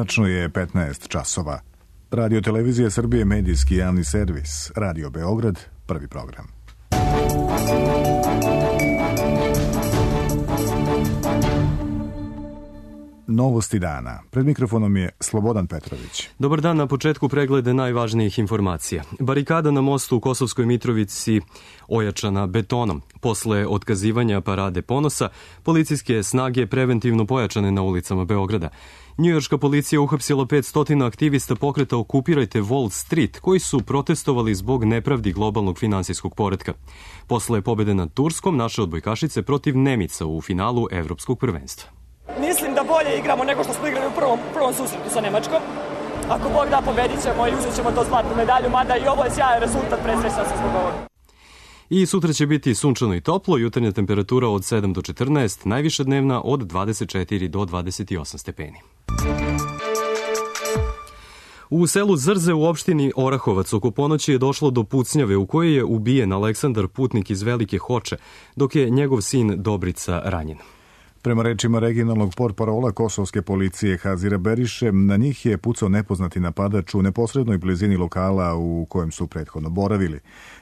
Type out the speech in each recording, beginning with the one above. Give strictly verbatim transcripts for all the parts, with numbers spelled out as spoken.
Tačno je petnaest časova. Radio Televizija Srbije, medijski javni servis. Radio Beograd, prvi program. Novosti dana. Pred mikrofonom je Slobodan Petrović. Dobar dan, na početku preglede najvažnijih informacija. Barikada na mostu u Kosovskoj Mitrovici ojačana betonom. Posle otkazivanja Parade ponosa, policijske snage preventivno pojačane na ulicama Beograda. Njujorška policija uhapsila petsto aktivista pokreta Okupirajte Wall Street, koji su protestovali zbog nepravdi globalnog finansijskog poretka. Posle pobede nad Turskom, naše odbojkašice protiv Nemica u finalu Evropskog prvenstva. Mislim da bolje igramo nego što smo igrali u prvom, prvom susretu sa Nemačkom. Ako Bog da, pobedit ćemo i uzet ćemo to zlatnu medalju, mada i ovo je sjajan rezultat, presrećan sam zbog ovoga. I sutra će biti sunčano i toplo, jutarnja temperatura od sedam do četrnaest, najviša dnevna od dvadeset četiri do dvadeset osam stepeni. U selu Zrze u opštini Orahovac oko ponoći je došlo do pucnjave u kojoj je ubijen Aleksandar Putnik iz Velike Hoče, dok je njegov sin Dobrica ranjen. Prema rečima regionalnog portparola kosovske policije Hazira Beriše, na njih je pucao nepoznati napadač u neposrednoj blizini lokala u kojem su prethodno boravili.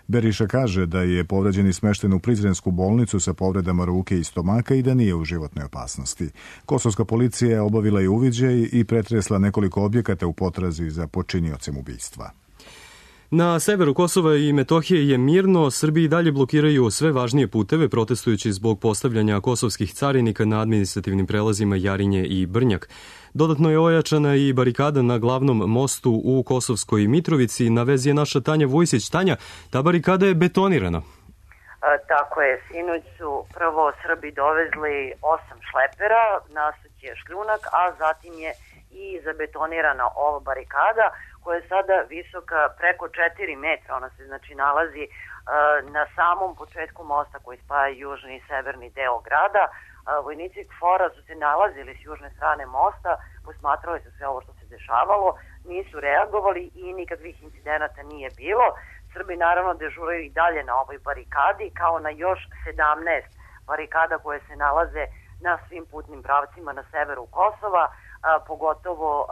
Beriša kaže da je povređeni smešten u Prizrensku bolnicu sa povredama ruke i stomaka i da nije u životnoj opasnosti. Kosovska policija je obavila i uviđaj i pretresla nekoliko objekata u potrazi za počiniocem ubistva. Na severu Kosova i Metohije je mirno, Srbiji dalje blokiraju sve važnije puteve protestujući zbog postavljanja kosovskih carinika na administrativnim prelazima Jarinje i Brnjak. Dodatno je ojačana i barikada na glavnom mostu u Kosovskoj Mitrovici. Na vezi je naša Tanja Vujsić. Tanja, ta barikada je betonirana. E, tako je, sinoć su prvo Srbi dovezli osam šlepera, nasuć je šljunak, a zatim je i zabetonirana ova barikada koja je sada visoka preko četiri metra. Ona se znači nalazi uh, na samom početku mosta koji spaja južni i severni deo grada. Uh, vojnici KFOR-a su se nalazili s južne strane mosta, posmatrali su sve ovo što se dešavalo, nisu reagovali i nikakvih incidenata nije bilo. Srbi naravno dežuraju i dalje na ovoj barikadi, kao na još sedamnaest barikada koje se nalaze na svim putnim pravcima na severu Kosova, a, pogotovo a,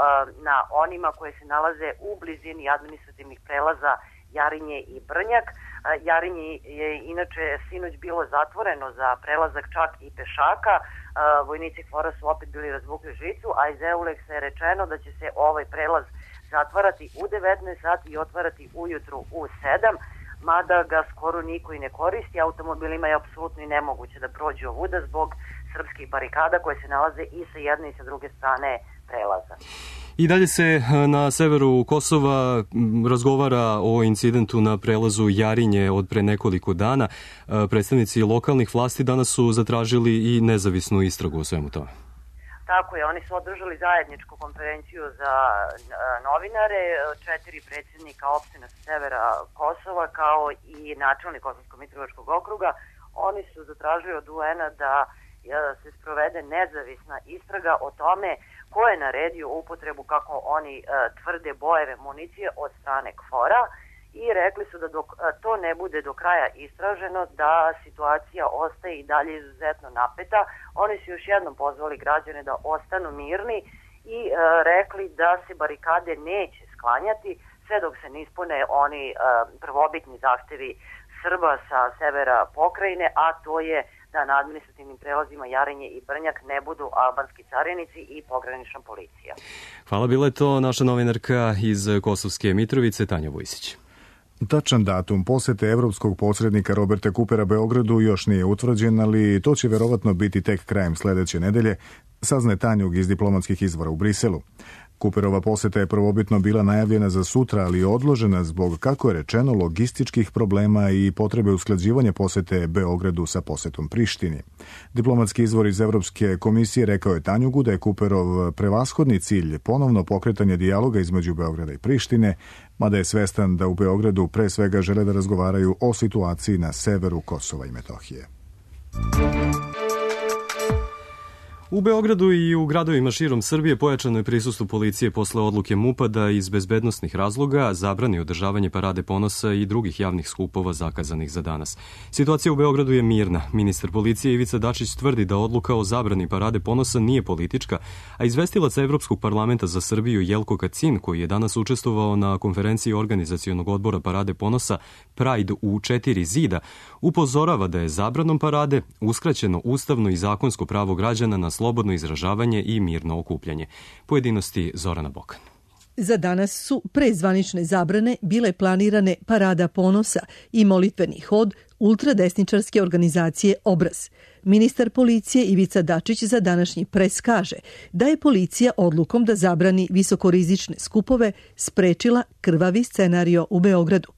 na onima koje se nalaze u blizini administrativnih prelaza Jarinje i Brnjak. A, Jarinje je inače sinoć bilo zatvoreno za prelazak čak i pešaka. A, vojnici KFOR-a su opet bili razvukli žicu, a iz Euleksa je rečeno da će se ovaj prelaz zatvarati u devetnaest sati i otvarati ujutru u sedam, mada ga skoro niko i ne koristi. Automobilima je apsolutno i nemoguće da prođu ovuda zbog srpskih barikada koje se nalaze i sa jedne i sa druge strane prelaza. I dalje se na severu Kosova razgovara o incidentu na prelazu Jarinje od pre nekoliko dana. Predstavnici lokalnih vlasti danas su zatražili i nezavisnu istragu o svemu tome. Tako je, oni su održali zajedničku konferenciju za novinare, četiri predsjednika opština sa severa Kosova kao i načelnik Kosovsko-Mitrovičkog okruga. Oni su zatražili od U N-a da se sprovede nezavisna istraga o tome ko je naredio upotrebu, kako oni uh, tvrde, bojeve municije od strane KFOR-a i rekli su da dok uh, to ne bude do kraja istraženo, da situacija ostaje i dalje izuzetno napeta. Oni su još jednom pozvali građane da ostanu mirni i uh, rekli da se barikade neće sklanjati sve dok se ne ispune oni uh, prvobitni zahtevi Srba sa severa pokrajine, a to je da na administrativnim prelazima Jarinje i Brnjak ne budu albanski carinici i pogranična policija. Hvala, bila je to naša novinarka iz Kosovske Mitrovice, Tanja Vujsić. Tačan datum posete evropskog posrednika Roberta Coopera Beogradu još nije utvrđen, ali to će verovatno biti tek krajem sledeće nedelje, saznaje Tanjug iz diplomatskih izvora u Briselu. Cooperova poseta je prvobitno bila najavljena za sutra, ali je odložena zbog, kako je rečeno, logističkih problema i potrebe usklađivanja posete Beogradu sa posetom Prištini. Diplomatski izvor iz Evropske komisije rekao je Tanjugu da je Cooperov prevashodni cilj ponovno pokretanje dijaloga između Beograda i Prištine, mada je svestan da u Beogradu pre svega žele da razgovaraju o situaciji na severu Kosova i Metohije. U Beogradu i u gradovima širom Srbije pojačano je prisustvo policije posle odluke MUP-a da iz bezbednosnih razloga zabrani održavanje parade ponosa i drugih javnih skupova zakazanih za danas. Situacija u Beogradu je mirna. Ministar policije Ivica Dačić tvrdi da odluka o zabrani parade ponosa nije politička, a izvestilac Evropskog parlamenta za Srbiju Jelko Kacin, koji je danas učestvovao na konferenciji organizacionog odbora parade ponosa Pride u četiri zida, upozorava da je zabranom parade uskraćeno ustavno i zakonsko pravo građana na slobodno izražavanje i mirno okupljanje. Pojedinosti Zorana Bokan. Za danas su pre zvanične zabrane bile planirane parada ponosa i molitveni hod ultradesničarske organizacije Obraz. Ministar policije Ivica Dačić za današnji pres kaže da je policija odlukom da zabrani visokorizične skupove sprečila krvavi scenario u Beogradu.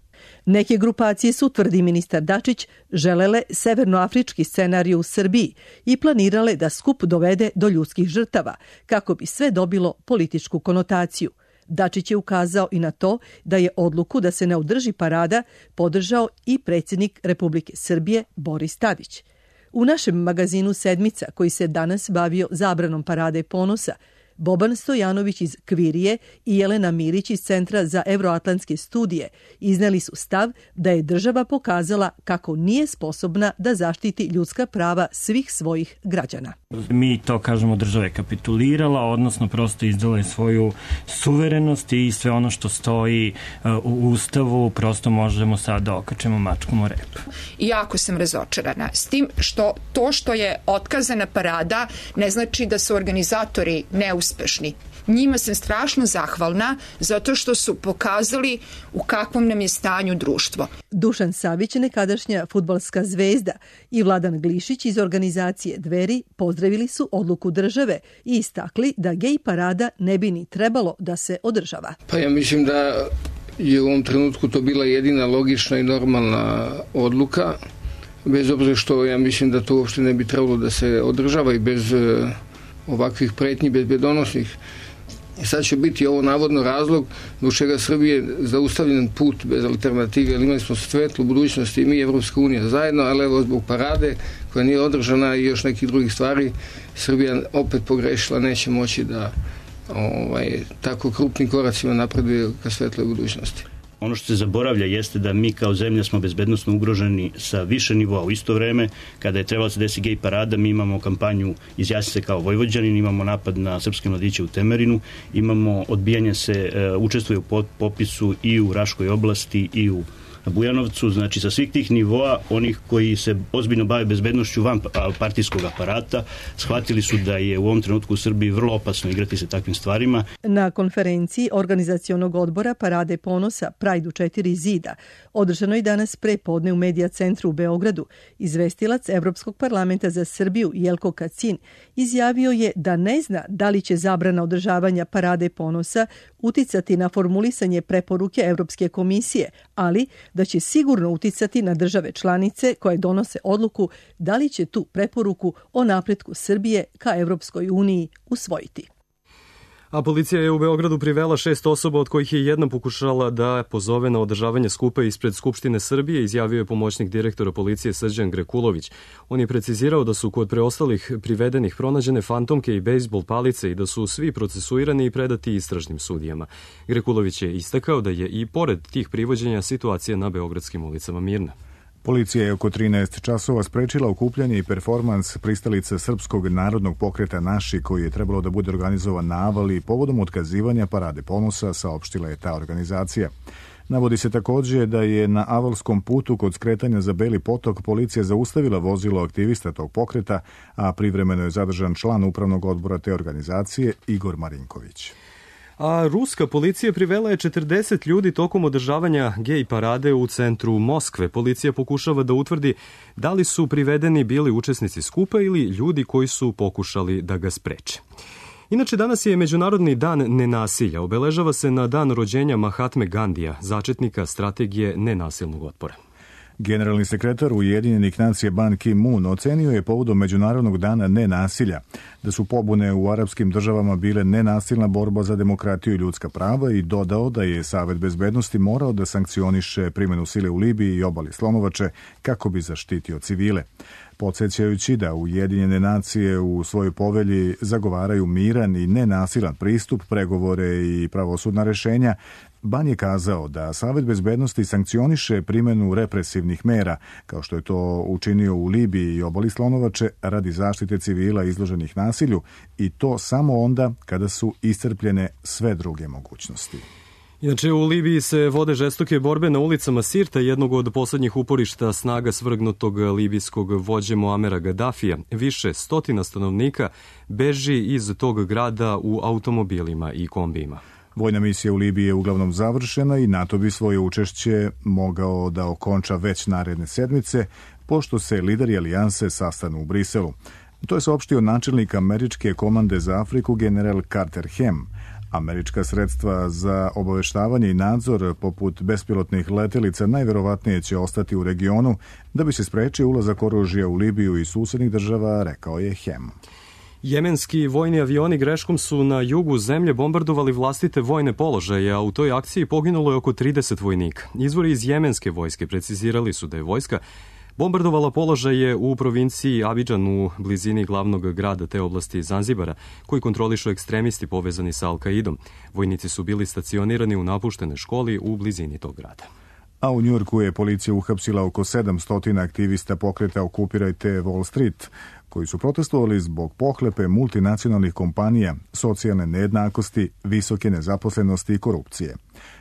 Neke grupacije su, tvrdi ministar Dačić, želele severnoafrički scenarij u Srbiji i planirale da skup dovede do ljudskih žrtava, kako bi sve dobilo političku konotaciju. Dačić je ukazao i na to da je odluku da se ne održi parada podržao i predsjednik Republike Srbije Boris Tadić. U našem magazinu Sedmica, koji se danas bavio zabranom parade ponosa, Boban Stojanović iz Kvirije i Jelena Milić iz Centra za evroatlantske studije izneli su stav da je država pokazala kako nije sposobna da zaštiti ljudska prava svih svojih građana. Mi to kažemo, država je kapitulirala, odnosno prosto izdala je svoju suverenost i sve ono što stoji u Ustavu prosto možemo sad da okačemo mačkom o rep. Jako sam razočarana s tim što to što je otkazana parada ne znači da su organizatori neuspešni. Uspešni. Njima sam strašno zahvalna zato što su pokazali u kakvom nam je stanju društvo. Dušan Savić, nekadašnja fudbalska zvezda, i Vladan Glišić iz organizacije Dveri pozdravili su odluku države i istakli da gej parada ne bi ni trebalo da se održava. Pa ja mislim da je u ovom trenutku to bila jedina logična i normalna odluka, bez obzira što ja mislim da to uopšte ne bi trebalo da se održava i bez ovakvih pretnji bezbedonosnih. I sad će biti ovo navodno razlog do čega Srbije zaustavljen put bez alternative, jer imali smo svetlu budućnosti i mi, Evropska unija zajedno, ali evo zbog parade koja nije održana i još nekih drugih stvari, Srbija opet pogrešila, neće moći da ovaj, tako krupnim koracima napreduje ka svetloj budućnosti. Ono što se zaboravlja jeste da mi kao zemlja smo bezbednosno ugroženi sa više nivoa. U isto vreme, kada je trebalo da se desi gej parada, mi imamo kampanju Izjasni se kao Vojvođanin, imamo napad na srpske mladiće u Temerinu, imamo odbijanje se, učestvuje u popisu i u Raškoj oblasti i u Bujanovcu, znači sa svih tih nivoa, onih koji se ozbiljno bave bezbednošću van partijskog aparata, shvatili su da je u ovom trenutku u Srbiji vrlo opasno igrati se takvim stvarima. Na konferenciji organizacionog odbora Parade ponosa Pride u četiri zida, održano je danas pre podne u Medija centru u Beogradu, izvestilac Evropskog parlamenta za Srbiju Jelko Kacin izjavio je da ne zna da li će zabrana održavanja Parade ponosa uticati na formulisanje preporuke Evropske komisije, ali da će sigurno uticati na države članice koje donose odluku da li će tu preporuku o napretku Srbije ka Evropskoj uniji usvojiti. A policija je u Beogradu privela šest osoba, od kojih je jedna pokušala da pozove na održavanje skupa ispred Skupštine Srbije, izjavio je pomoćnik direktora policije Srđan Grekulović. On je precizirao da su kod preostalih privedenih pronađene fantomke i bejsbol palice i da su svi procesuirani i predati istražnim sudijama. Grekulović je istakao da je i pored tih privođenja situacija na beogradskim ulicama mirna. Policija je oko trinaest časova sprečila okupljanje i performans pristalica Srpskog narodnog pokreta Naši, koji je trebalo da bude organizovan na Avali povodom otkazivanja Parade ponosa, saopštila je ta organizacija. Navodi se također da je na Avalskom putu kod skretanja za Beli potok policija zaustavila vozilo aktivista tog pokreta, a privremeno je zadržan član upravnog odbora te organizacije Igor Marinković. A ruska policija privela je četrdeset ljudi tokom održavanja gej parade u centru Moskve. Policija pokušava da utvrdi da li su privedeni bili učesnici skupa ili ljudi koji su pokušali da ga spreče. Inače, danas je Međunarodni dan nenasilja. Obeležava se na dan rođenja Mahatme Gandija, začetnika strategije nenasilnog otpora. Generalni sekretar Ujedinjenih nacija Ban Ki-moon ocenio je povodom Međunarodnog dana nenasilja da su pobune u arapskim državama bile nenasilna borba za demokratiju i ljudska prava i dodao da je Savet bezbednosti morao da sankcioniše primjenu sile u Libiji i obali Slonovače kako bi zaštitio civile. podsjećajući da Ujedinjene nacije u svojoj povelji zagovaraju miran i nenasilan pristup, pregovore i pravosudna rešenja. Ban je kazao da Savet bezbednosti sankcioniše primjenu represivnih mera, kao što je to učinio u Libiji i obali Slonovače, radi zaštite civila izloženih nasilju, i to samo onda kada su iscrpljene sve druge mogućnosti. Inače, u Libiji se vode žestoke borbe na ulicama Sirta, jednog od poslednjih uporišta snaga svrgnutog libijskog vođe Muamera Gaddafija. Više stotina stanovnika beži iz tog grada u automobilima i kombijima. Vojna misija u Libiji je uglavnom završena i NATO bi svoje učešće mogao da okonča već naredne sedmice, pošto se lideri alijanse sastanu u Briselu. To je saopštio načelnik Američke komande za Afriku general Carter Ham. Američka sredstva za obaveštavanje i nadzor poput bespilotnih letelica najverovatnije će ostati u regionu da bi se sprečio ulazak oružja u Libiju i susednih država, rekao je Ham. Jemenski vojni avioni greškom su na jugu zemlje bombardovali vlastite vojne položaje, a u toj akciji poginulo je oko trideset vojnika. Izvori iz jemenske vojske precizirali su da je vojska bombardovala položaje u provinciji Abidžan u blizini glavnog grada te oblasti Zanzibara, koji kontrolišu ekstremisti povezani sa Al-Kaidom. Vojnici su bili stacionirani u napuštenoj školi u blizini tog grada. A u Njujorku je policija uhapsila oko sedamsto aktivista pokreta Okupirajte Wall Street, koji su protestovali zbog pohlepe multinacionalnih kompanija, socijalne nejednakosti, visoke nezaposlenosti i korupcije.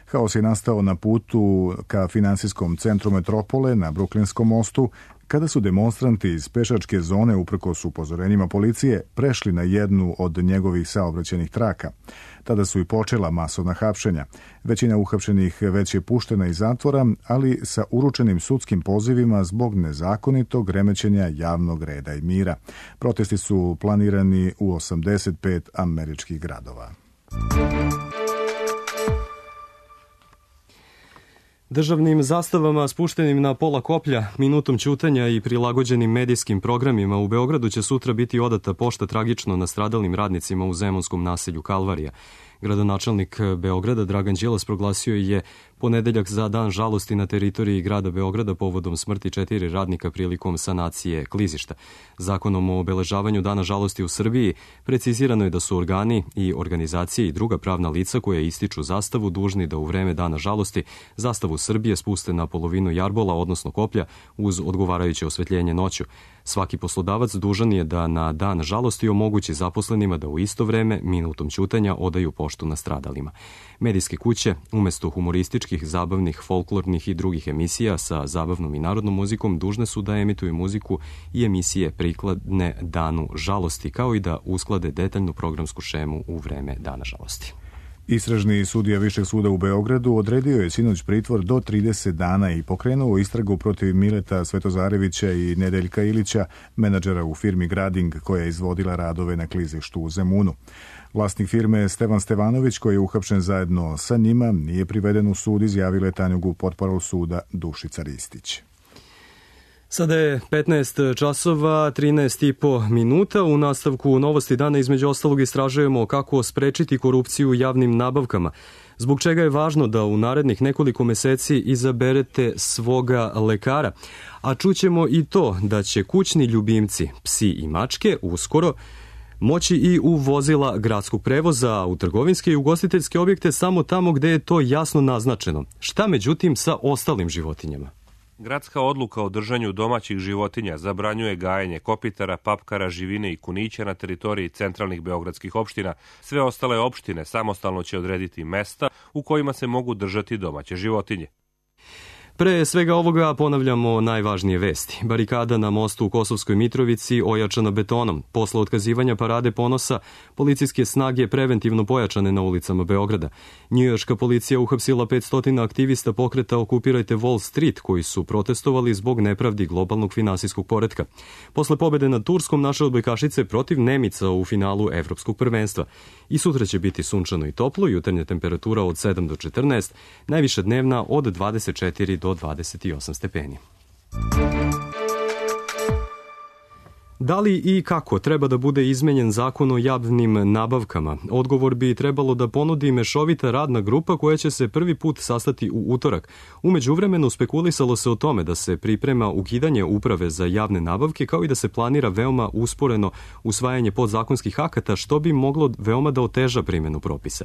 Haos je nastao na putu ka finansijskom centru metropole na Bruklinskom mostu, kada su demonstranti iz pešačke zone, uprkos upozorenjima policije, prešli na jednu od njegovih saobraćajnih traka. Tada su i počela masovna hapšenja. Većina uhapšenih već je puštena iz zatvora, ali sa uručenim sudskim pozivima zbog nezakonitog remećenja javnog reda i mira. Protesti su planirani u osamdeset pet američkih gradova. Državnim zastavama spuštenim na pola koplja, minutom ćutanja i prilagođenim medijskim programima u Beogradu će sutra biti odata pošta tragično nastradalim radnicima u zemunskom naselju Kalvarija. Gradonačelnik Beograda Dragan Đilas proglasio je ponedeljak za dan žalosti na teritoriji grada Beograda povodom smrti četiri radnika prilikom sanacije klizišta. Zakonom o obeležavanju dana žalosti u Srbiji precizirano je da su organi i organizacije i druga pravna lica koje ističu zastavu dužni da u vreme dana žalosti zastavu Srbije spuste na polovinu jarbola, odnosno koplja, uz odgovarajuće osvetljenje noću. Svaki poslodavac dužan je da na dan žalosti omogući zaposlenima da u isto vreme minutom ćutanja odaju poštu nastradalima. Medijske kuće, umesto humorističkih, zabavnih, folklornih i drugih emisija sa zabavnom i narodnom muzikom, dužne su da emituju muziku i emisije prikladne danu žalosti, kao i da usklade detaljnu programsku šemu u vreme dana žalosti. Istražni sudija Višeg suda u Beogradu odredio je sinoć pritvor do trideset dana i pokrenuo istragu protiv Mileta Svetozarevića i Nedeljka Ilića, menadžera u firmi Grading koja je izvodila radove na klizištu u Zemunu. Vlasnik firme Stevan Stevanović, koji je uhapšen zajedno sa njima, nije priveden u sud, izjavila je Tanjugu portparol suda Dušica Ristić. Sada je petnaest časova, trinaest i po minuta. U nastavku novosti dana između ostalog istražujemo kako sprečiti korupciju u javnim nabavkama. Zbog čega je važno da u narednih nekoliko meseci izaberete svoga lekara. A čućemo i to da će kućni ljubimci, psi i mačke, uskoro moći i u vozila gradskog prevoza, u trgovinske i ugostiteljske objekte samo tamo gde je to jasno naznačeno. Šta međutim sa ostalim životinjama? Gradska odluka o držanju domaćih životinja zabranjuje gajenje kopitara, papkara, živine i kunića na teritoriji centralnih beogradskih opština. Sve ostale opštine samostalno će odrediti mesta u kojima se mogu držati domaće životinje. Pre svega ovoga ponavljamo najvažnije vesti. Barikada na mostu u Kosovskoj Mitrovici ojačana betonom. Posle otkazivanja parade ponosa, policijske snage preventivno pojačane na ulicama Beograda. Njujorška policija uhapsila petsto aktivista pokreta Okupirajte Wall Street, koji su protestovali zbog nepravdi globalnog finansijskog poretka. Posle pobede nad Turskom, naše odbojkašice protiv Nemica u finalu Evropskog prvenstva. I sutra će biti sunčano i toplo, jutarnja temperatura od sedam do četrnaest, najviša dnevna od dvadeset četiri do dvadeset osam stepeni. Da li i kako treba da bude izmenjen zakon o javnim nabavkama? Odgovor bi trebalo da ponudi mešovita radna grupa koja će se prvi put sastati u utorak. U međuvremenu spekulisalo se o tome da se priprema ukidanje uprave za javne nabavke kao i da se planira veoma usporeno usvajanje podzakonskih akata što bi moglo veoma da oteža primjenu propisa.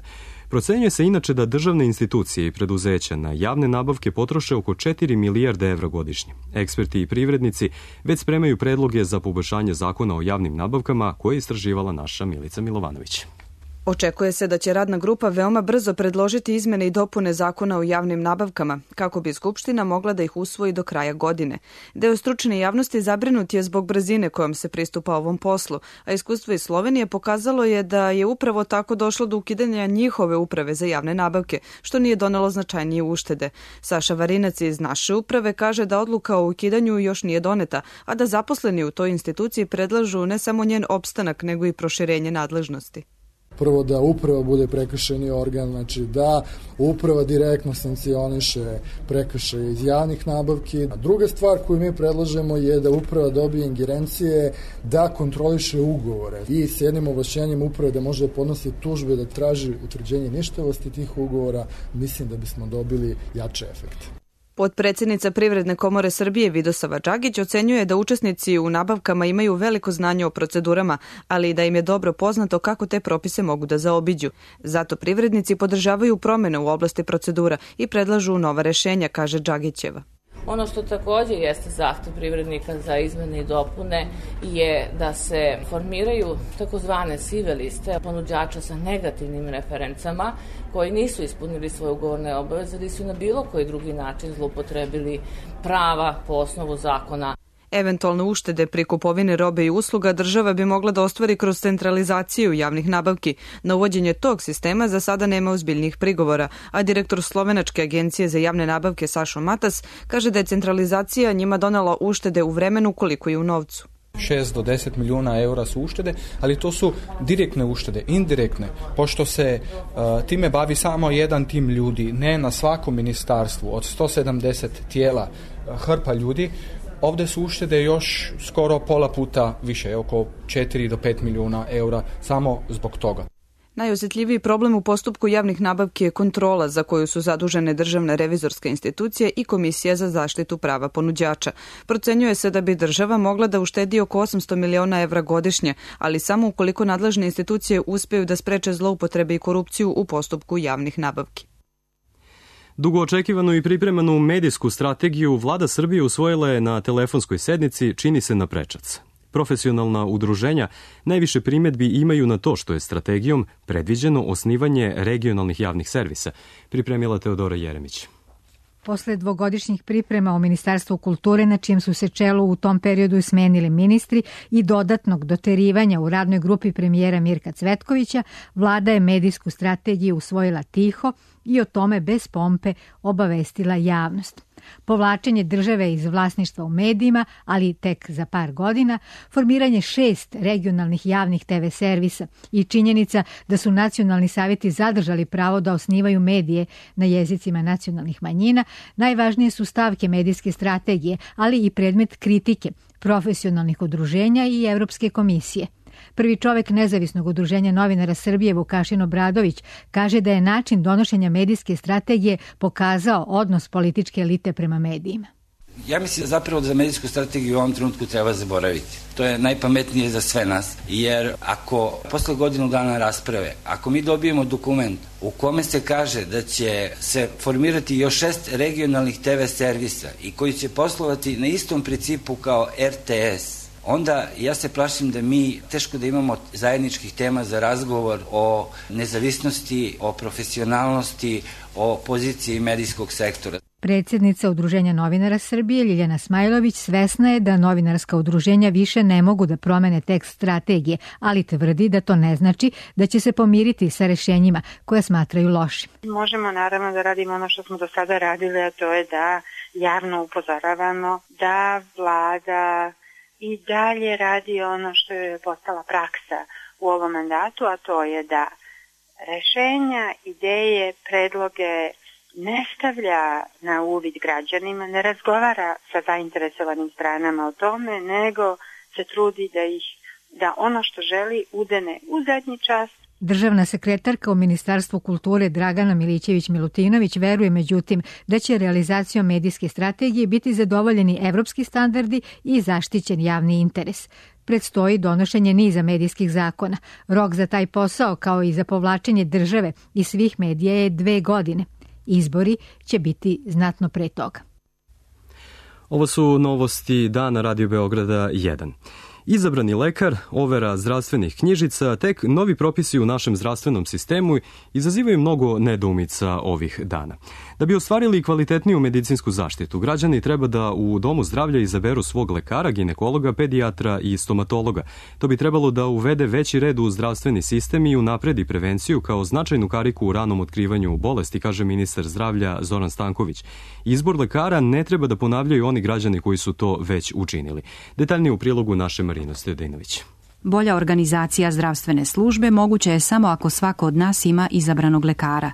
Procenjuje se inače da državne institucije i preduzeća na javne nabavke potroše oko četiri milijarde evra godišnje. Eksperti i privrednici već spremaju predloge za poboljšanje zakona o javnim nabavkama koje je istraživala naša Milica Milovanović. Očekuje se da će radna grupa veoma brzo predložiti izmene i dopune zakona o javnim nabavkama, kako bi Skupština mogla da ih usvoji do kraja godine. Deo stručne javnosti zabrinut je zbog brzine kojom se pristupa ovom poslu, a iskustvo iz Slovenije pokazalo je da je upravo tako došlo do ukidanja njihove uprave za javne nabavke, što nije donelo značajnije uštede. Saša Varinac iz naše uprave kaže da odluka o ukidanju još nije doneta, a da zaposleni u toj instituciji predlažu ne samo njen opstanak, nego i proširenje nadležnosti. Prvo da uprava bude prekršajni organ, znači da uprava direktno sankcioniše prekršaje iz javnih nabavki. A druga stvar koju mi predlažemo je da uprava dobije ingerencije da kontroliše ugovore i s jednim ovlašćenjem uprave da može da podnosi tužbe, da traži utvrđenje ništavosti tih ugovora, mislim da bismo dobili jače efekte. Potpredsednica Privredne komore Srbije Vidosava Đagić ocenjuje da učesnici u nabavkama imaju veliko znanje o procedurama, ali i da im je dobro poznato kako te propise mogu da zaobiđu. Zato privrednici podržavaju promene u oblasti procedura i predlažu nova rešenja, kaže Đagićeva. Ono što također jeste zahtev privrednika za izmene i dopune je da se formiraju takozvane sive liste ponuđača sa negativnim referencama koji nisu ispunili svoje ugovorne obaveze ili su na bilo koji drugi način zloupotrebili prava po osnovu zakona. Eventualne uštede pri kupovini robe i usluga država bi mogla da ostvari kroz centralizaciju javnih nabavki. Na uvođenje tog sistema za sada nema ozbiljnih prigovora, a direktor Slovenačke agencije za javne nabavke Sašo Matas kaže da je centralizacija njima donela uštede u vremenu koliko i u novcu. šest do deset milijuna eura su uštede, ali to su direktne uštede, indirektne, pošto se uh, time bavi samo jedan tim ljudi, ne na svakom ministarstvu, od sto sedamdeset tijela uh, hrpa ljudi. Ovdje su uštede još skoro pola puta više, oko četiri do pet milijuna eura, samo zbog toga. Najosjetljiviji problem u postupku javnih nabavki je kontrola za koju su zadužene državne revizorske institucije i Komisija za zaštitu prava ponuđača. Procenjuje se da bi država mogla da uštedi oko osamsto miliona evra godišnje, ali samo ukoliko nadležne institucije uspeju da spreče zloupotrebe i korupciju u postupku javnih nabavki. Dugo očekivanu i pripremanu medijsku strategiju Vlada Srbije usvojila je na telefonskoj sednici, čini se na prečac. Profesionalna udruženja najviše primjedbi imaju na to što je strategijom predviđeno osnivanje regionalnih javnih servisa, pripremila Teodora Jeremić. Posle dvogodišnjih priprema o Ministarstvu kulture, na čijem su se čelu u tom periodu smenili ministri i dodatnog doterivanja u radnoj grupi premijera Mirka Cvetkovića, Vlada je medijsku strategiju usvojila tiho i o tome bez pompe obavestila javnost. Povlačenje države iz vlasništva u medijima, ali tek za par godina, formiranje šest regionalnih javnih te ve servisa i činjenica da su nacionalni savjeti zadržali pravo da osnivaju medije na jezicima nacionalnih manjina, najvažnije su stavke medijske strategije, ali i predmet kritike profesionalnih udruženja i Evropske komisije. Prvi čovek Nezavisnog udruženja novinara Srbije, Vukašin Obradović, kaže da je način donošenja medijske strategije pokazao odnos političke elite prema medijima. Ja mislim zapravo da za medijsku strategiju u ovom trenutku treba zaboraviti. To je najpametnije za sve nas, jer ako posle godinu dana rasprave, ako mi dobijemo dokument u kome se kaže da će se formirati još šest regionalnih te ve servisa i koji će poslovati na istom principu kao er te es, onda ja se plašim da mi teško da imamo zajedničkih tema za razgovor o nezavisnosti, o profesionalnosti, o poziciji medijskog sektora. Predsjednica Udruženja novinara Srbije Ljiljana Smajlović svesna je da novinarska udruženja više ne mogu da promene tekst strategije, ali tvrdi da to ne znači da će se pomiriti sa rešenjima koje smatraju lošim. Možemo naravno da radimo ono što smo do sada radili, a to je da javno upozoravamo da vlada i dalje radi ono što je postala praksa u ovom mandatu, a to je da rešenja, ideje, predloge ne stavlja na uvid građanima, ne razgovara sa zainteresovanim stranama o tome, nego se trudi da ih, da ono što želi udene u zadnji čas. Državna sekretarka u Ministarstvu kulture Dragana Milićević-Milutinović veruje međutim da će realizacijom medijske strategije biti zadovoljeni evropski standardi i zaštićen javni interes. Predstoji donošenje niza medijskih zakona. Rok za taj posao, kao i za povlačenje države i svih medija, je dve godine. Izbori će biti znatno pre toga. Ovo su novosti Dana Radio Beograda jedan. Izabrani lekar, overa zdravstvenih knjižica, tek novi propisi u našem zdravstvenom sistemu izazivaju mnogo nedoumica ovih dana. Da bi ostvarili kvalitetniju medicinsku zaštitu, građani treba da u domu zdravlja izaberu svog lekara, ginekologa, pedijatra i stomatologa. To bi trebalo da uvede veći red u zdravstveni sistem i unapredi prevenciju kao značajnu kariku u ranom otkrivanju bolesti, kaže ministar zdravlja Zoran Stanković. Izbor lekara ne treba da ponavljaju oni građani koji su to već učinili. Detaljnije u prilogu naše Marino Stojadinović. Bolja organizacija zdravstvene službe moguće je samo ako svako od nas ima izabranog lekara.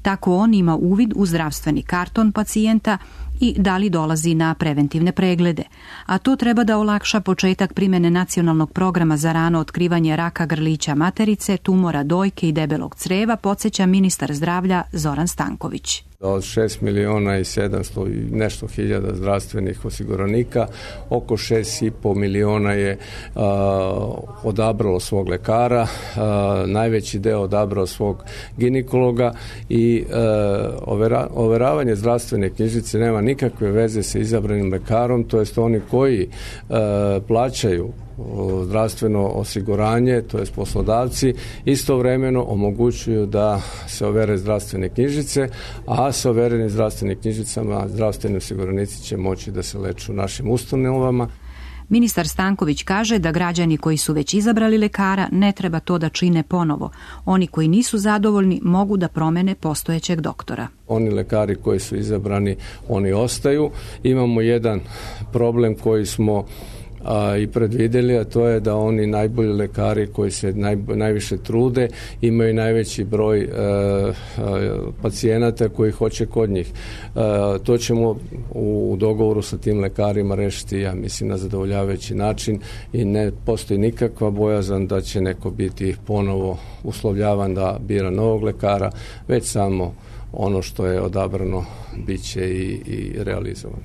Tako on ima uvid u zdravstveni karton pacijenta i da li dolazi na preventivne preglede. A to treba da olakša početak primjene nacionalnog programa za rano otkrivanje raka grlića materice, tumora dojke i debelog creva, podsjeća ministar zdravlja Zoran Stanković. Od šest miliona i sedamsto i nešto hiljada zdravstvenih osiguranika, oko šest i po miliona je uh, odabralo svog lekara, uh, najveći deo odabrao svog ginekologa i uh, overa, overavanje zdravstvene knjižice nema nikakve veze sa izabranim lekarom, to jest oni koji uh, plaćaju zdravstveno osiguranje, to jest poslodavci, istovremeno omogućuju da se overe zdravstvene knjižice, a sa overenim zdravstvenim knjižicama zdravstveni osiguranici će moći da se leče u našim ustanovama. Ministar Stanković kaže da građani koji su već izabrali lekara ne treba to da čine ponovo. Oni koji nisu zadovoljni mogu da promene postojećeg doktora. Oni lekari koji su izabrani, oni ostaju. Imamo jedan problem koji smo a, i predvideli, a to je da oni najbolji lekari koji se naj, najviše trude imaju najveći broj e, e, pacijenata koji hoće kod njih. E, to ćemo u, u dogovoru sa tim lekarima rešiti, ja mislim, na zadovoljavajući način i ne postoji nikakva bojazan da će neko biti ponovo uslovljavan da bira novog lekara, već samo ono što je odabrano bit će i, i realizovano.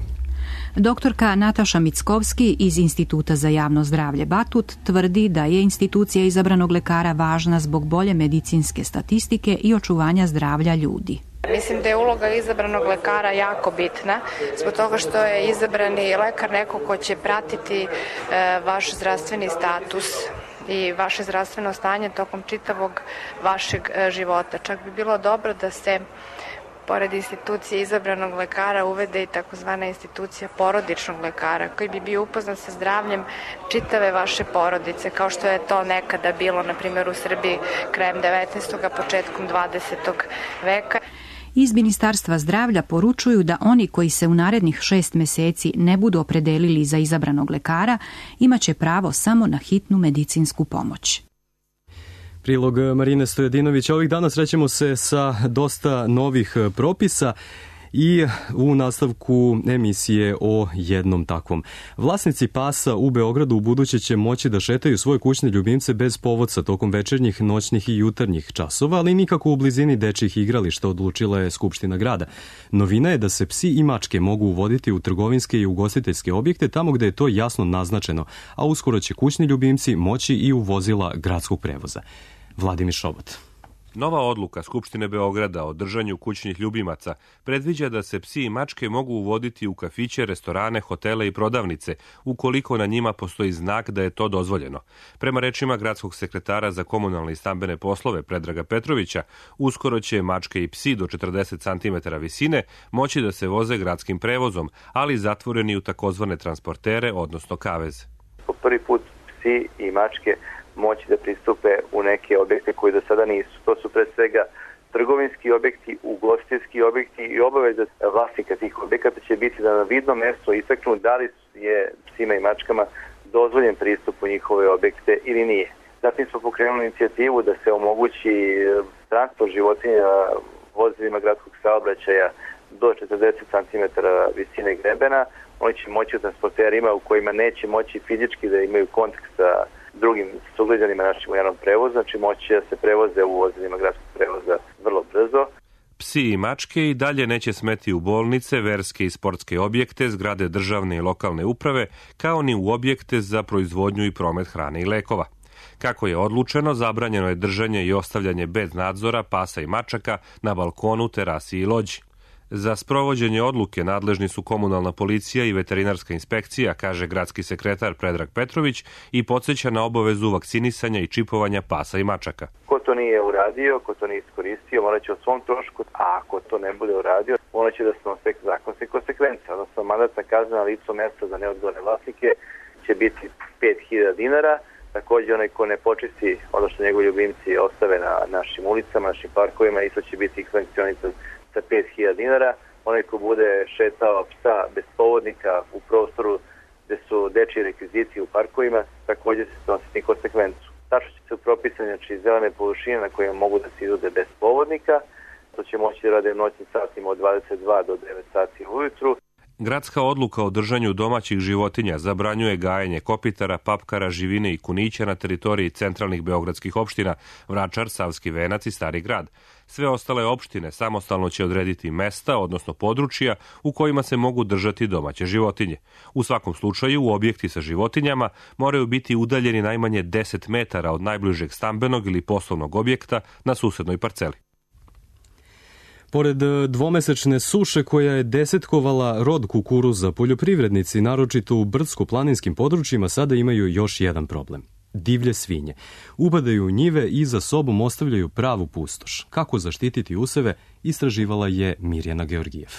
Doktorka Nataša Mickovski iz Instituta za javno zdravlje Batut tvrdi da je institucija izabranog lekara važna zbog bolje medicinske statistike i očuvanja zdravlja ljudi. Mislim da je uloga izabranog lekara jako bitna, zbog toga što je izabrani lekar neko ko će pratiti e, vaš zdravstveni status i vaše zdravstveno stanje tokom čitavog vašeg e, života. Čak bi bilo dobro da se pored institucije izabranog lekara uvede i takozvana institucija porodičnog lekara koji bi bio upoznat sa zdravljem čitave vaše porodice, kao što je to nekada bilo, na primjer, u Srbiji krajem devetnaestog. početkom dvadesetog. veka. Iz Ministarstva zdravlja poručuju da oni koji se u narednih šest meseci ne budu opredelili za izabranog lekara imaće pravo samo na hitnu medicinsku pomoć. Prilog Marine Stojadinović. Ovih dana srećemo se sa dosta novih propisa i u nastavku emisije o jednom takvom. Vlasnici pasa u Beogradu u buduće će moći da šetaju svoje kućne ljubimce bez povodca tokom večernjih, noćnih i jutarnjih časova, ali nikako u blizini dečjih igrališta, odlučila je Skupština grada. Novina je da se psi i mačke mogu uvoditi u trgovinske i ugostiteljske objekte tamo gde je to jasno naznačeno, a uskoro će kućni ljubimci moći i u vozila gradskog prevoza. Vladimir Šobot. Nova odluka Skupštine Beograda o držanju kućnih ljubimaca predviđa da se psi i mačke mogu uvoditi u kafiće, restorane, hotele i prodavnice, ukoliko na njima postoji znak da je to dozvoljeno. Prema rečima gradskog sekretara za komunalne i stambene poslove Predraga Petrovića, uskoro će mačke i psi do četrdeset centimetara visine moći da se voze gradskim prevozom, ali zatvoreni u takozvane transportere, odnosno kavez. Po prvi put psi i mačke moći da pristupe u neke objekte koji do sada nisu. To su pre svega trgovinski objekti, ugostiteljski objekti i obaveza vlasnika tih objekata će biti da na vidno mesto istaknu da li je psima i mačkama dozvoljen pristup u njihove objekte ili nije. Zatim smo pokrenuli inicijativu da se omogući transport životinja vozilima gradskog saobraćaja do četrdeset centimetara visine grebena, oni će moći u transporterima u kojima neće moći fizički da imaju kontakt sa drugim sugrađanima našim u javnom prevozu, znači moći da se prevoze u vozilima gradskog prevoza vrlo brzo. Psi i mačke i dalje neće smeti u bolnice, verske i sportske objekte, zgrade državne i lokalne uprave, kao ni u objekte za proizvodnju i promet hrane i lekova. Kako je odlučeno, zabranjeno je držanje i ostavljanje bez nadzora pasa i mačaka na balkonu, terasi i lođi. Za sprovođenje odluke nadležni su komunalna policija i veterinarska inspekcija, kaže gradski sekretar Predrag Petrović i podsjeća na obavezu vakcinisanja i čipovanja pasa i mačaka. Ko to nije uradio, ko to nije iskoristio, morat će o svom trošku, a ako to ne bude uradio, morat će da snose zakonske konsekvence, odnosno mandatna kazna na licu mesta za neodgovorne vlasnike će biti pet hiljada dinara. Također onaj ko ne počisti ono što njegovi ljubimci ostave na našim ulicama, našim parkovima, isto će biti sankcionisan sa pet hiljada dinara. Onaj ko bude šetao psa bez povodnika u prostoru gde su dečiji rekviziti u parkovima, također se snositi konsekvencu. Tačno će se propisati, znači, zelene površine na kojima mogu da se izvode bez povodnika, to će moći da rade u noćnim satima od dvadeset dva do devet sati ujutru. Gradska odluka o držanju domaćih životinja zabranjuje gajenje kopitara, papkara, živine i kunića na teritoriji centralnih beogradskih opština Vračar, Savski Venac i Stari Grad. Sve ostale opštine samostalno će odrediti mesta, odnosno područja u kojima se mogu držati domaće životinje. U svakom slučaju, objekti sa životinjama moraju biti udaljeni najmanje deset metara od najbližeg stambenog ili poslovnog objekta na susednoj parceli. Pored dvomesečne suše koja je desetkovala rod kukuruza, poljoprivrednici, naročito u brdsko-planinskim područjima, sada imaju još jedan problem. Divlje svinje. Upadaju u njive i za sobom ostavljaju pravu pustoš. Kako zaštititi useve, istraživala je Mirjana Georgijev.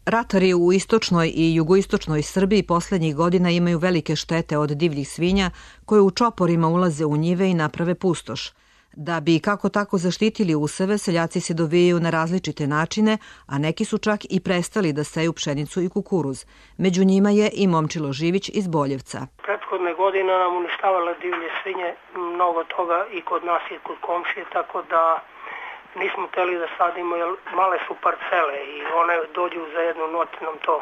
Ratari u istočnoj i jugoistočnoj Srbiji poslednjih godina imaju velike štete od divljih svinja koje u čoporima ulaze u njive i naprave pustoš. Da bi kako tako zaštitili useve, seljaci se dovijaju na različite načine, a neki su čak i prestali da seju pšenicu i kukuruz. Među njima je i Momčilo Živić iz Boljevca. Prethodne godine nam uništavala divlje svinje, mnogo toga i kod nas i kod komšije, tako da nismo hteli da sadimo, jer male su parcele i one dođu za jednu noć nam to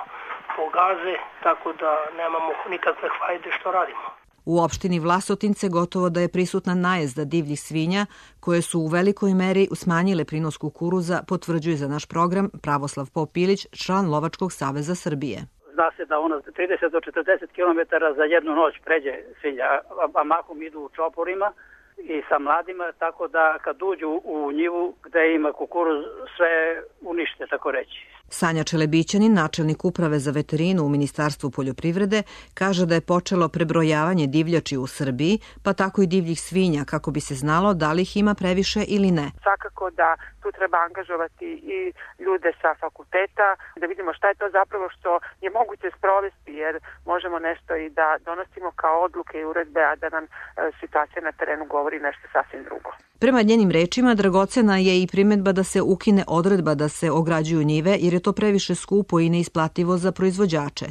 pogaze, tako da nemamo nikakve hajde što radimo. U opštini Vlasotince gotovo da je prisutna najezda divljih svinja, koje su u velikoj meri smanjile prinos kukuruza, potvrđuje za naš program Pravoslav Popilić, član Lovačkog saveza Srbije. Zna se da ona trideset do četrdeset kilometara za jednu noć pređe svinja, a mahom idu u čoporima i sa mladima, tako da kad uđu u njivu gde ima kukuruz, sve unište, tako reći. Sanja Čelebićanin, načelnik uprave za veterinu u Ministarstvu poljoprivrede, kaže da je počelo prebrojavanje divljači u Srbiji, pa tako i divljih svinja, kako bi se znalo da li ih ima previše ili ne. Svakako da tu treba angažovati i ljude sa fakulteta, da vidimo šta je to zapravo što je moguće sprovesti, jer možemo nešto i da donosimo kao odluke i uredbe, a da nam e, situacija na terenu govori nešto sasvim drugo. Prema njenim rečima, dragocena je i primetba da se ukine odredba da se ograđuju njive, jer je to previše skupo i neisplativo za proizvođače.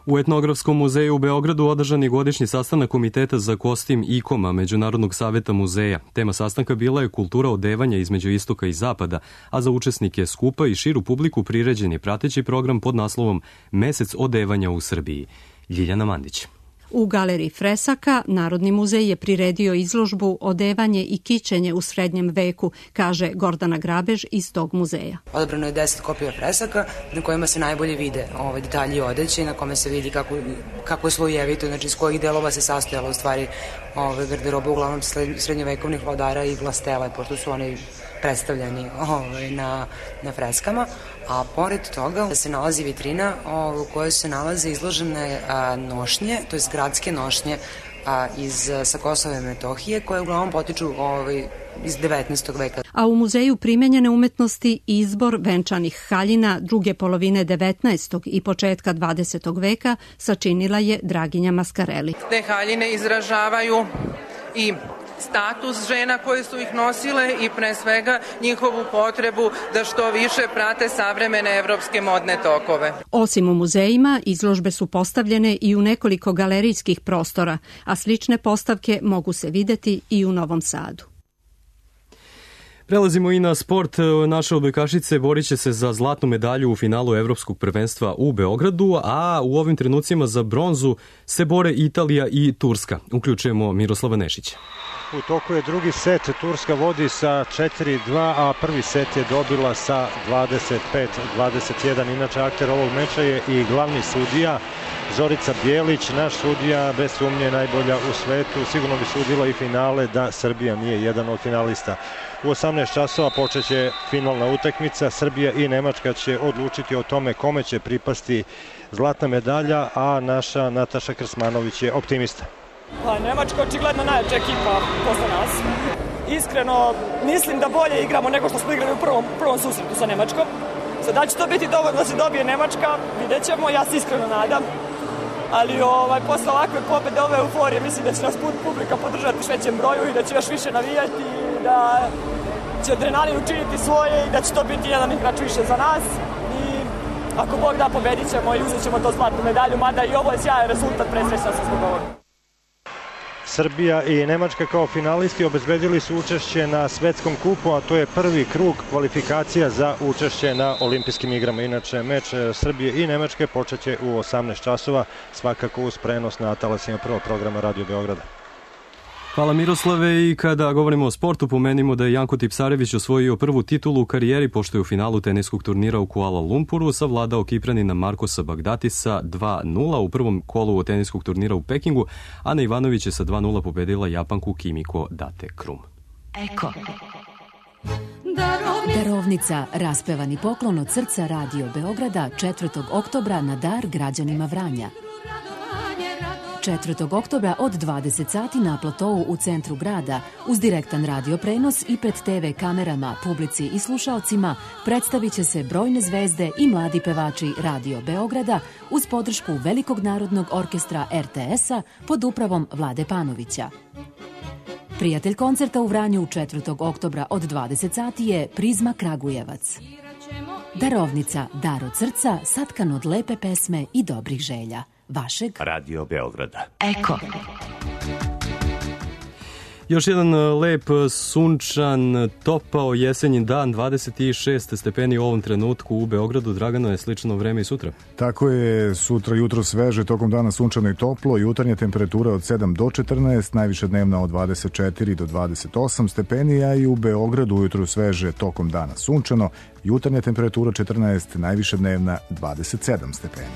U Etnografskom muzeju u Beogradu održan je godišnji sastanak Komiteta za kostim I K O M-a Međunarodnog saveta muzeja. Tema sastanka bila je kultura odevanja između istoka i zapada, a za učesnike skupa i širu publiku priređen je prateći program pod naslovom Mesec odevanja u Srbiji. Ljiljana Mandić. U galeriji fresaka Narodni muzej je priredio izložbu Odevanje i kićenje u srednjem veku, kaže Gordana Grabež iz tog muzeja. Odabrano je deset kopija fresaka na kojima se najbolje vide ovaj detalji odeće i na kome se vidi kako, kako je slojevito, znači iz kojih delova se sastojala u stvari ovaj garderoba uglavnom srednjovekovnih vladara i vlastele, pošto su oni predstavljeni ovaj, na, na freskama, a pored toga se nalazi vitrina ovaj, u kojoj se nalaze izložene a, nošnje, to je gradske nošnje a, iz, sa Kosova i Metohije, koje uglavnom potiču ovaj, iz devetnaestog veka. A u muzeju primenjene umetnosti izbor venčanih haljina druge polovine devetnaestog i početka dvadesetog veka sačinila je Draginja Maskareli. Te haljine izražavaju i status žena koje su ih nosile i pre svega njihovu potrebu da što više prate savremene evropske modne tokove. Osim u muzejima, izložbe su postavljene i u nekoliko galerijskih prostora, a slične postavke mogu se videti i u Novom Sadu. Prelazimo i na sport. Naše odbojkašice borit će se za zlatnu medalju u finalu Evropskog prvenstva u Beogradu, a u ovim trenucima za bronzu se bore Italija i Turska. Uključujemo Miroslava Nešića. U toku je drugi set, Turska vodi sa četiri dva, a prvi set je dobila sa dvadeset pet dvadeset jedan. Inače, akter ovog meča je i glavni sudija Zorica Bjelić, naš sudija, bez sumnje najbolja u svetu. Sigurno bi sudila i finale da Srbija nije jedan od finalista. U osamnaest časova počeće finalna utakmica. Srbija i Nemačka će odlučiti o tome kome će pripasti zlatna medalja, a naša Nataša Krsmanović je optimista. Pa, Nemačka očigledno najjača ekipa posle nas. Iskreno, mislim da bolje igramo nego što smo igrali u prvom, prvom susretu sa Nemačkom. Sad, da će to biti dovoljno da se dobije Nemačka, vidjet ćemo, ja se iskreno nadam. Ali ovaj, posle ovakve pobede, ove euforije, mislim da će nas publika podržati u većem broju i da će još više navijati i da će adrenalin učiniti svoje i da će to biti jedan igrač više za nas. I ako Bog da, pobedit ćemo i uzet ćemo to zlatnu medalju, mada i ovo je sjajan rezultat, presrećna sam zbog ovoga. Srbija i Nemačka kao finalisti obezbedili su učešće na svetskom kupu, a to je prvi krug kvalifikacija za učešće na olimpijskim igrama. Inače, meč Srbije i Nemačke počeće u osamnaest časova, svakako uz prenos na talasima prvog programa Radio Beograda. Hvala Miroslave, i kada govorimo o sportu pomenimo da je Janko Tipsarević osvojio prvu titulu u karijeri pošto je u finalu teniskog turnira u Kuala Lumpuru savladao Kipranina Markosa Bagdatisa dva nula u prvom kolu teniskog turnira u Pekingu. Ana Ivanović je sa dva nula pobedila Japanku Kimiko Date Krum. Eko. Darovnica, raspevani poklon od srca Radio Beograda četvrtog oktobra na dar građanima Vranja. četvrtog oktobra od dvadeset sati na platovu u centru grada, uz direktan radio prenos i pred te ve kamerama, publici i slušalcima, predstavit će se brojne zvezde i mladi pevači Radio Beograda uz podršku Velikog narodnog orkestra er te es-a pod upravom Vlade Panovića. Prijatelj koncerta u Vranju četvrtog oktobra od dvadeset sati je Prizma Kragujevac. Darovnica, dar od srca, satkan od lepe pesme i dobrih želja. Vašeg Radio Beograda. Eko. Još jedan lep, sunčan, topao jesenji dan, dvadeset šest stepeni u ovom trenutku u Beogradu. Dragano, je slično vreme i sutra? Tako je, sutra jutro sveže, tokom dana sunčano i toplo, jutarnja temperatura od sedam do četrnaest, najviša dnevna od dvadeset četiri do dvadeset osam stepeni, a i u Beogradu ujutru sveže, tokom dana sunčano, jutarnja temperatura četrnaest, najviša dnevna dvadeset sedam stepeni.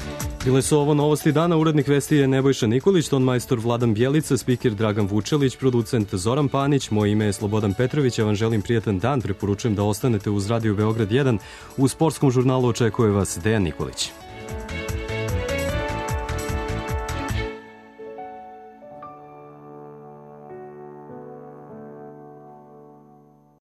Bile su ovo novosti dana, urednik vesti je Nebojša Nikolić, ton majstor Vladan Bjelica, spiker Dragan Vučelić, producent Zoran Panić, moje ime je Slobodan Petrović, ja vam želim prijatan dan, preporučujem da ostanete uz Radio Beograd jedan, u sportskom žurnalu očekuje vas Dejan Nikolić.